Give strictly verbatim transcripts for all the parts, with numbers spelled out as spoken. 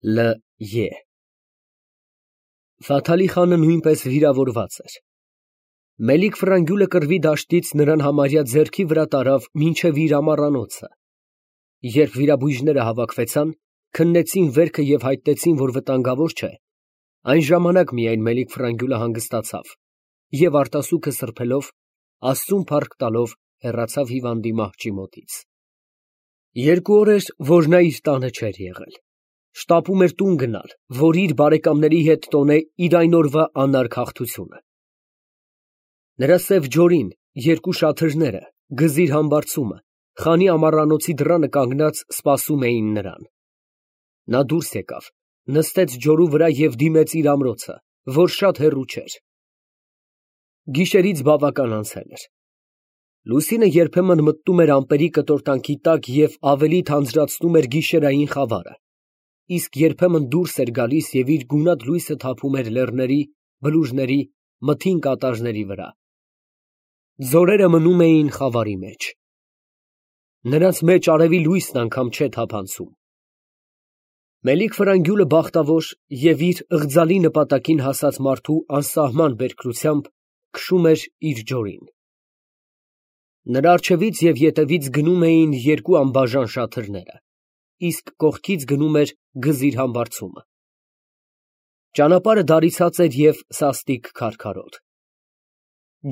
Լ Ե Ֆաթալի խանը նույնպես վիրավորված էր։ Մելիք֊Ֆրանգյուլը կռվի դաշտից նրան համարյա ձեռքի վրա տարավ մինչև իր ամառանոցը։ Երբ վիրաբույժները հավաքվեցան, քննեցին վերքը և հայտնեցին, որ վտանգավոր չէ, այն ժամանակ միայն Մելիք֊Ֆրանգյուլը հանգստացավ և արտասուքը սրբելով, Աստծուն փառք տալով, հեռացավ հիվանդի մահճի մոտից։ Երկու օր էր, որ նա իր տանը չէր եղել։ Շտապում էր տուն գնալ, որ իր բարեկամների հետ տոնե իր այն օրվա անարգ հաղթությունը։ Նրա սև ջորին, երկու շաթրները, գզիր համբարձումը, խանի ամառանոցի դռանը կանգնած սպասում էին նրան։ Նա դուրս եկավ, նստեց ջորու վրա և դիմեց իր ամրոցը, որ շատ հեռու չէր։ Գիշերից բավական անցել էր։ Լուսինը երբեմն մտնում էր ամպերի կտորտանքի տակ և ավելի թանձրացնում էր գիշերային խավարը, իսկ երբեմն դուրս էր գալիս և իր գունատ լույսը թափում էր լեռների, բլուրների, մթին կատարների վրա։ Ձորերը մնում էին խավարի մեջ։ Նրանց մեջ արևի լույսն անգամ չէ թափանցում։ Մելիք֊Ֆրանգյուլը բախտավոր և իր ըղձալի նպատակին հասած մարդու անսահման բերքրությամբ քշում էր իր ջորին։ Նրա առջևից և ետևից գնում էին երկու անբաժան շաթրները, իսկ կողքից գնում էր գզիր համբարձումը։ Ճանապարհը դարիցած էր և սաստիկ քարքարոտ։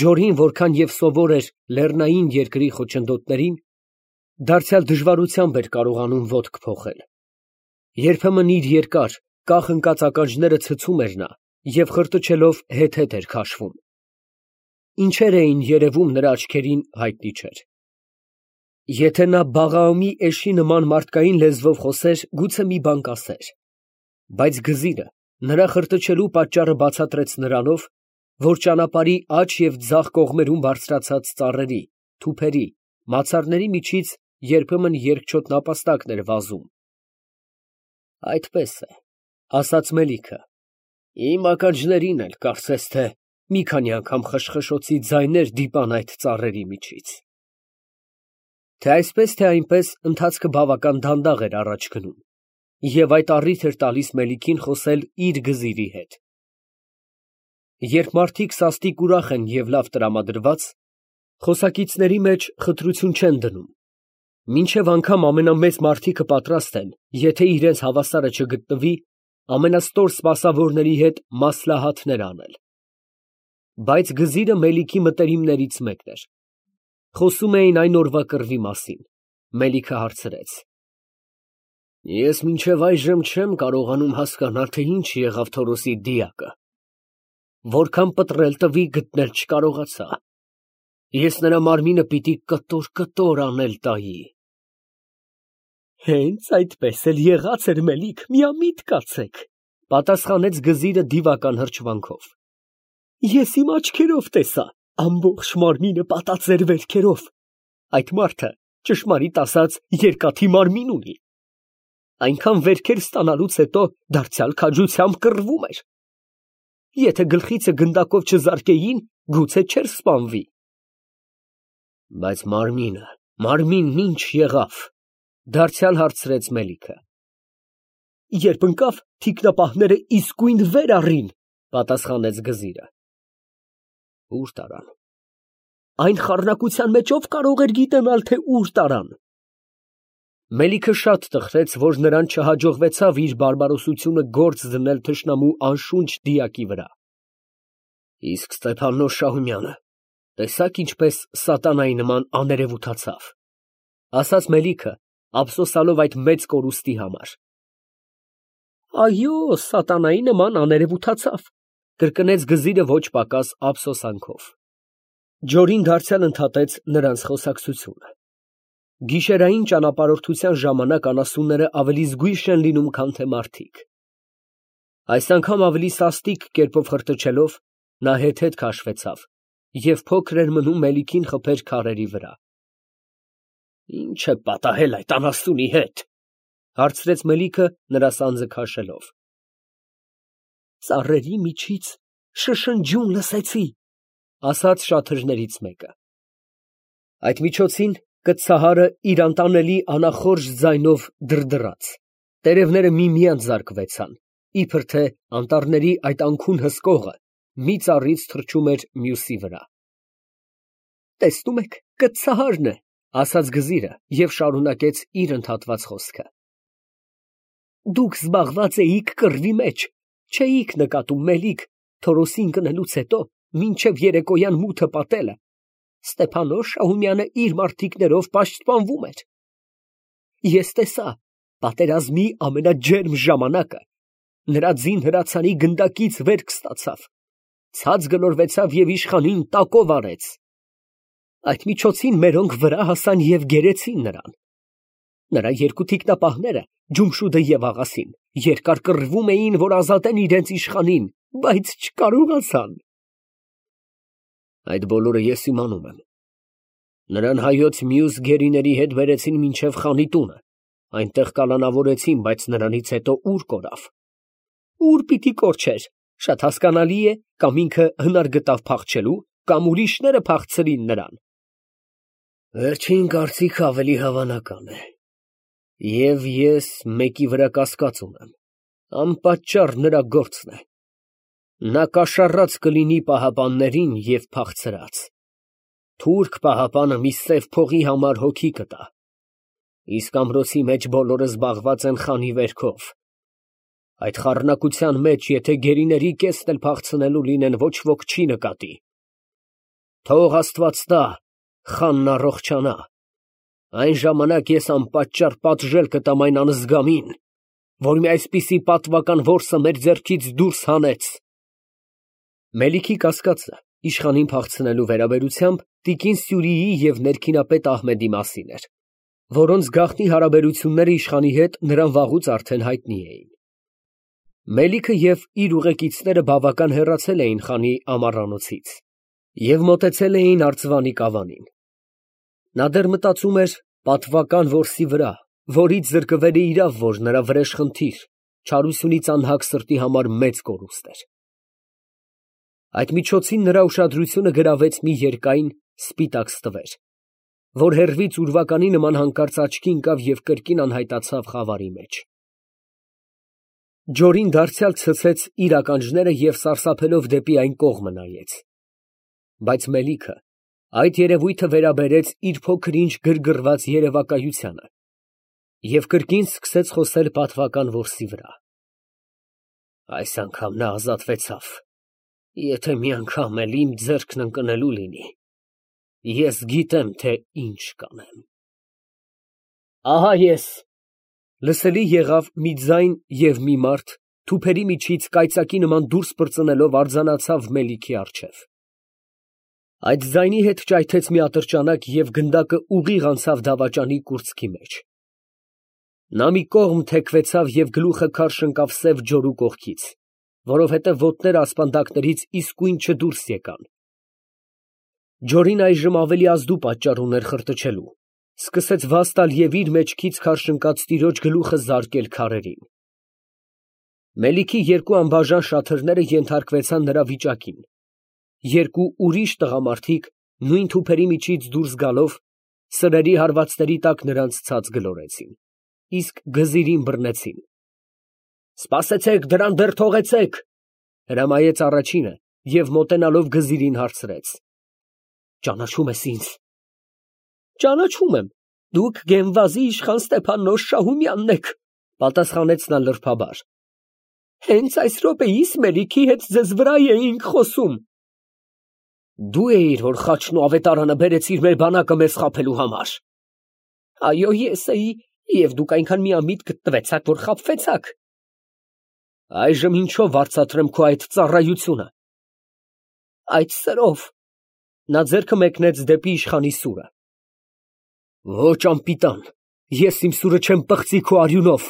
Ջորին որքան և սովոր էր լեռնային երկրի խոչընդոտներին, դարձյալ դժվարությամբ էր կարողանում ոտք փոխել։ Երբեմն իր երկար, կախ ընկած ականջները ցցում էր նա և խրտչելով հետ֊հետ էր քաշվում։ Ինչեր էին երևում նրա աչքերին, հայտնի չէր։ Եթե նա Բաղաամի էշի նման մարդկային լեզվով խոսեր, գուցե մի բան կասեր, բայց գզիրը նրա խրտչելու պատճառը բացատրեց նրանով, որ ճանապարհի աջ և ձախ կողմերում բարձրացած ծառերի, թուփերի, մացառների միջից երբեմն երկչոտ նապաստակն էր վազում։ Այդպես է, ասաց Մելիքը, իմ ականջներին էլ կարծես թե մի քանի անգամ խշխշոցի ձայներ դիպան այդ ծառերի միջից։ Թե այսպես, թե այնպես, ընթացքը բավական դանդաղ էր առաջ գնում, և այդ առիթ էր տալիս Մելիքին խոսել իր գզիրի հետ։ Երբ մարդիկ սաստիկ ուրախ են և լավ տրամադրված, խոսակիցների մեջ խտրություն չեն դնում, մինչև անգամ ամենամեծ մարդիկը պատրաստ են, եթե իրենց հավասարը չգտնվի, ամենաստոր սպասավորների հետ մասլահաթներ անել։ Բայց գզիրը Մելիքի մտերիմներից մեկն էր։ Խոսում էին այն օրվա կռվի մասին։ Մելիքը հարցրեց. Ես մինչև այժմ չեմ կարողանում հասկանալ, թե ինչ եղավ Թորոսի դիակը։ Որքան պտռել տվի, գտնել չկարողացա։ Ես նրա մարմինը պիտի կտոր֊կտոր անել տայի։ Հենց այդպես էլ եղած էր, Մելիք, միամիտ կացեք, պատասխանեց գզիրը դիվական հրճվանքով։ Ես իմ աչքերով տեսա, ամբողջ մարմինը պատած էր վերքերով։ Այդ մարդը, ճշմարիտ ասած, երկաթի մարմին ունի։ Այնքան վերքեր ստանալուց հետո դարձյալ քաջությամբ կռվում էր։ Եթե գլխիցը գնդակով չզարկեին, գուցե չէր սպանվի։ Բայց մարմինը, մարմինն ինչ եղավ, դարձյալ հարցրեց Մելիքը։ Երբ ընկավ, թիկնապահները իսկույն վեր առին, պատասխանեց գզիրը։ Ուր տարան։ Այն խառնակության մեջ ով կարող էր գիտենալ, թե ուր տարան։ Մելիքը շատ տխրեց, որ նրան չհաջողվեցավ իր բարբարոսությունը գործ դնել թշնամու անշունչ դիակի վրա։ Իսկ Ստեփաննոս Շահումյանը տեսա՞ք ինչպես սատանայի նման աներևութացավ, ասաց Մելիքը, ափսոսալով այդ մեծ կորուստի համար։ Այո, սատանայի նման աներևութացավ, կրկնեց գզիրը ոչ պակաս ափսոսանքով։ Ջորին դարձյալ ընդհատեց նրանց խոսակցությունը։ Գիշերային ճանապարհորդության ժամանակ անասունները ավելի զգույշ են լինում, քան թե մարդիկ։ Այս անգամ ավելի սաստիկ կերպով խրտչելով, նա հետ֊հետ քաշվեցավ և փոքր էր մնում Մելիքին խփեր քարերի վրա։ Ինչ է պատահել այդ անասունի հետ, հարցրեց Մելիքը նրա սանձը քաշելով։ Ծառերի միջից շշնջյուն լսեցի, ասաց շաթրներից մեկը։ Այդ միջոցին կցահարը իր անտանելի անախորժ ձայնով դրդռաց։ Տերևները միմյանց զարկվեցան, իբր թե անտառների այդ անքուն հսկողը մի ծառից թռչում էր մյուսի վրա։ Տեսնում եք, կծահարն է, ասաց գզիրը և շարունակեց իր ընդհատված խոսքը։ Դուք զբաղված էիք կռվի մեջ, չէիք նկատում մելիք Թորոսին կնելուց հետո մինչև երեկոյան մութը պատելը Ստեփանոս Շահումյանը իր մարդիկներով պաշտպանվում էր։ Ես տեսա պատերազմի ամենաջերմ ժամանակը, նրա ձին հրացանի գնդակից վերք ստացավ, ցած գլորվեցավ և իշխանին տակով արեց։ Այդ միջոցին մերոնք վրա հասան և գերեցին նրան։ Նրա երկու թիկնապահները, Ջումշուդը և Աղասին, երկար կռվում էին, որ ազատեն իրենց իշխանին, բայց չկարողացան։ Այդ բոլորը ես իմանում եմ։ Նրան հայոց մյուս գերիների հետ բերեցին մինչև խանի տունը, այնտեղ կալանավորեցին, բայց նրանից հետո ուր կորավ։ Ուր պիտի կորչեր, շատ հասկանալի է, կամ ինքը հնար գտավ փախչելու, կամ ուրիշները փախցրին նրան։ Վերջին կարծիքը ավելի հավանական է։ Եվ ես մեկի վրա կասկած ունեմ, անպատճառ նրա գործն է։ Նա կաշառած կլինի պահապաններին և փախցրած։ Թուրք պահապանը մի սև փողի համար հոգի կտա, իսկ ամրոցի մեջ բոլորը զբաղված են խանի վերքով։ Այդ խառնակության մեջ, եթե գերիների կեսն էլ փախցնելու լինեն, ոչ ոք չի նկատի։ Թող Աստված տա, խանն առողջանա, այն ժամանակ ես անպատճառ պատժել կտամ այն անզգամին, որ մի այսպիսի պատվական որսը մեր ձեռքից դուրս հանեց։ Մելիքի կասկածը իշխանին փախցնելու վերաբերությամբ տիկին Սյուրիի և ներքինապետ Ահմեդի մասին էր, որոնց գաղտնի հարաբերությունները իշխանի հետ նրան վաղուց արդեն հայտնի էին։ Մելիքը և իր ուղեկիցները բավական հեռացել էին խանի ամառանոցից և մոտեցել էին արձվանի կավանին։ Նա դեռ մտածում էր պատվական որսի վրա, որից զրկվել է իրավ, որ նրա վրեժխնդիր, չարությունից անհագ սրտի համար մեծ կորուստ էր։ Այդ միջոցին նրա ուշադրությունը գրավեց մի երկայն սպիտակ ստվեր, որ հեռվից ուրվականի նման հանկարծ աչքի ընկավ և կրկին անհայտացավ խավարի մեջ։ Ջորին դարձյալ ցցեց իր ականջները և սարսափելով դեպի այն կողմը նայեց։ Բայց Մելիքը այդ երևույթը վերաբերեց իր փոքր-ինչ գրգռված երևակայությանը և կրկին սկսեց խոսել պատվական որսի վրա։ Այս անգամ նա ազատվեցավ, եթե մի անգամ էլ իմ ձեռքն ընկնելու լինի, ես գիտեմ, թե ինչ կանեմ։ Ահա ես… Լսելի եղավ մի ձայն և մի մարդ թուփերի միջից կայծակի նման դուրս պրծնելով արձանացավ Մելիքի առջև։ Այդ ձայնի հետ ճայթեց մի ատրճանակ և գնդակը ուղիղ անցավ դավաճանի կուրծքի մեջ։ Նա մի կողմ թեքվեցավ և գլուխը քարշ ընկավ սև ջորու կողքից, որովհետև ոտները ասպանդակներից իսկույն չդուրս եկան։ Ջորին այժմ ավելի ազդու պատճառ ուներ խրտչելու, սկսեց վազ տալ և իր մեջքից քարշ ընկած տիրոջ գլուխը զարկել քարերին։ Մելիքի երկու անբաժան շաթրները ենթարկվեցան նրա վիճակին։ Երկու ուրիշ տղամարդիկ, նույն թուփերի միջից դուրս գալով, սրերի հարվածների տակ նրանց ցած գլորեցին, իսկ գզիրին բռնեցին։ Սպասեցեք, դրան դեռ թողեցեք, հրամայեց առաջինը և մոտենալով գզիրին հարցրեց. Ճանաչո՞ւմ ես ինձ։ Ճանաչում եմ, դուք Գեմվազի իշխան Ստեփանոս Շահումյանն եք, պատասխանեց նա լրբաբար։ Հենց այս րոպեիս Մելիքի հետ ձեզ վրա էինք խոսում։ Դու էիր, որ խաչն ու ավետարանը բերեցիր մեր բանակը մեզ խաբելու համար։ Այո, ես էի, և դուք այնքան միամիտ գտնվեցաք, որ խաբվեցաք։ Այժմ ինչով վարձատրեմ քո այդ ծառայությունը։ Այդ սրով։ Նա ձեռքը մեկնեց դեպի իշխանի սուրը։ Ոչ, անպիտան, ես իմ սուրը չեմ պղծի քո արյունով։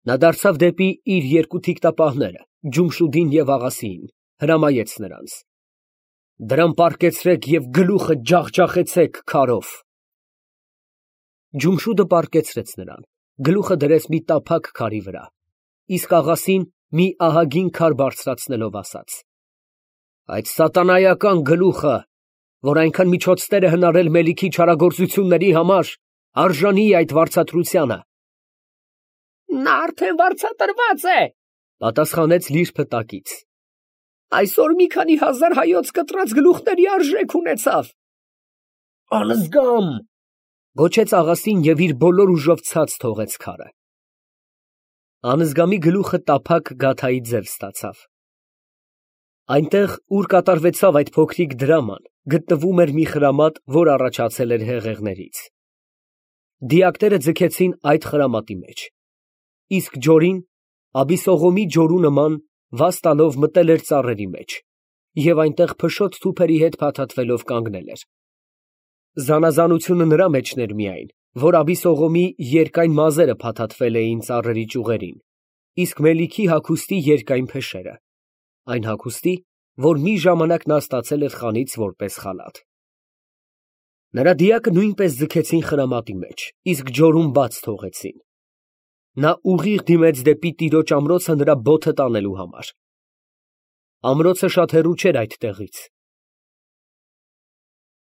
Նա դարձավ դեպի իր երկու թիկնապահները, Ջումշուդին և Աղասիին, հրամայեց նրանց. Դրան պառկեցրեք և գլուխը ջախջախեցեք քարով։ Ջումշուդը պառկեցրեց նրան, գլուխը դրեց մի տափակ քարի վրա, իսկ Աղասին մի ահագին քար բարձրացնելով ասաց. Այդ սատանայական գլուխը, որ այնքան միջոցներ է հնարել Մելիքի չարագործությունների համար, արժանի է այդ վարձատրությանը։ Նա արդեն վարձատրված է, պատասխանեց Լիր փտակից։ Այսօր մի քանի հազար հայոց կտրած գլուխների արժեք ունեցավ։ Անզգամ, գոչեց աղասին և իր բոլոր ուժով ցած թողեց քարը։ Անզգամի գլուխը տափակ գաթայի ձև ստացավ։ Այնտեղ, ուր կատարվեցավ այդ փոքրիկ դրաման, գտնվում էր մի խրամատ, որ առաջացել էր հեղեղներից։ Դիակները ձգեցին այդ խրամատի մեջ, իսկ ջորին, Աբիսողոմի ջորու նման, վազ տալով մտել էր ծառերի մեջ և այնտեղ փշոտ թուփերի հետ փաթաթվելով կանգնել էր։ Զանազանությունը նրա մեջն էր միայն, որ Աբիսողոմի երկայն մազերը փաթաթվել էին ծառերի ճյուղերին, իսկ Մելիքի հագուստի երկայն փեշերը, այն հագուստի, որ մի ժամանակ նա ստացել էր խանից որպես խալաթ։ Նրա դիակը նույնպես ձգեցին խրամատի մեջ, իսկ ջորում բաց թողեցին։ Նա ուղիղ դիմեց դեպի տիրոջ ամրոցը նրա բոթը տանելու համար։ Ամրոցը շատ հեռու չէր այդ տեղից,